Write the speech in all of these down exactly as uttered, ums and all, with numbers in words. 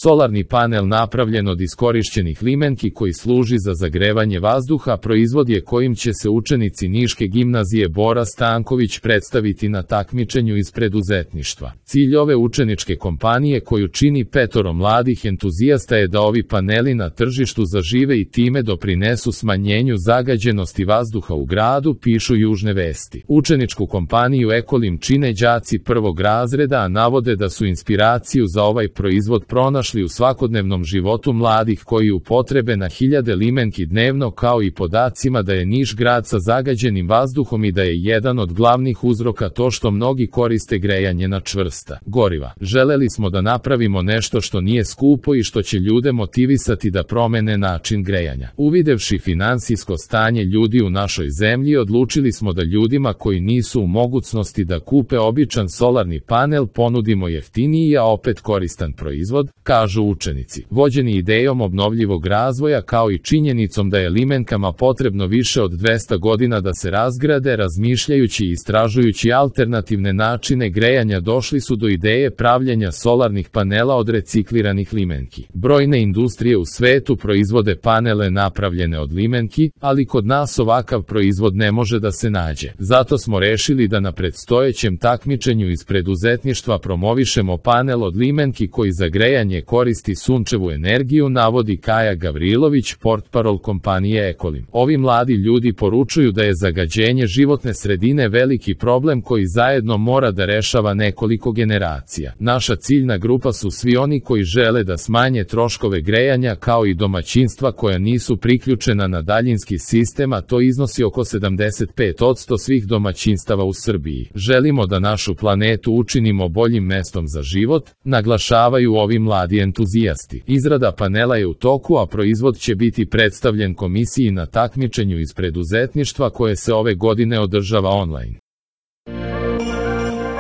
Solarni panel napravljen od iskorišćenih limenki koji služi za zagrevanje vazduha proizvod je kojim će se učenici Niške gimnazije Bora Stanković predstaviti na takmičenju iz preduzetništva. Cilj ove učeničke kompanije koju čini petoro mladih entuzijasta je da ovi paneli na tržištu zažive i time doprinesu smanjenju zagađenosti vazduha u gradu, pišu Južne vesti. Učeničku kompaniju Ekolim čine đaci prvog razreda, a navode da su inspiraciju za ovaj proizvod pronašli u svakodnevnom životu mladih koji upotrebe na hiljade limenki dnevno, kao i podacima da je Niš grad sa zagađenim vazduhom i da je jedan od glavnih uzroka to što mnogi koriste grejanje na čvrsta goriva. Želeli smo da napravimo nešto što nije skupo i što će ljude motivisati da promene način grejanja. Uvidevši finansijsko stanje ljudi u našoj zemlji, odlučili smo da ljudima koji nisu u mogućnosti da kupe običan solarni panel ponudimo jeftiniji, a opet koristan proizvod, kažu učenici. Vođeni idejom obnovljivog razvoja kao i činjenicom da je limenkama potrebno više od dvesta godina da se razgrade, razmišljajući i istražujući alternativne načine grejanja, došli su do ideje pravljenja solarnih panela od recikliranih limenki. Brojne industrije u svetu proizvode panele napravljene od limenki, ali kod nas ovakav proizvod ne može da se nađe. Zato smo rešili da na predstojećem takmičenju iz preduzetništva promovišemo panel od limenki koji za grejanje koristi sunčevu energiju, navodi Kaja Gavrilović, portparol kompanije Ekolim. Ovi mladi ljudi poručuju da je zagađenje životne sredine veliki problem koji zajedno mora da rešava nekoliko generacija. Naša ciljna grupa su svi oni koji žele da smanje troškove grejanja, kao i domaćinstva koja nisu priključena na daljinski sistem, a to iznosi oko sedamdeset pet posto svih domaćinstava u Srbiji. Želimo da našu planetu učinimo boljim mestom za život, naglašavaju ovi mladi entuzijasti. Izrada panela je u toku, a proizvod će biti predstavljen komisiji na takmičenju iz preduzetništva koje se ove godine održava online.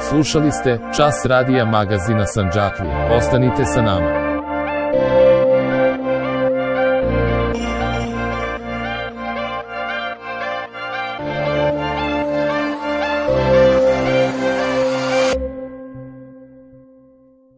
Slušali ste Čas radija magazina Sandžaklija. Ostanite sa nama.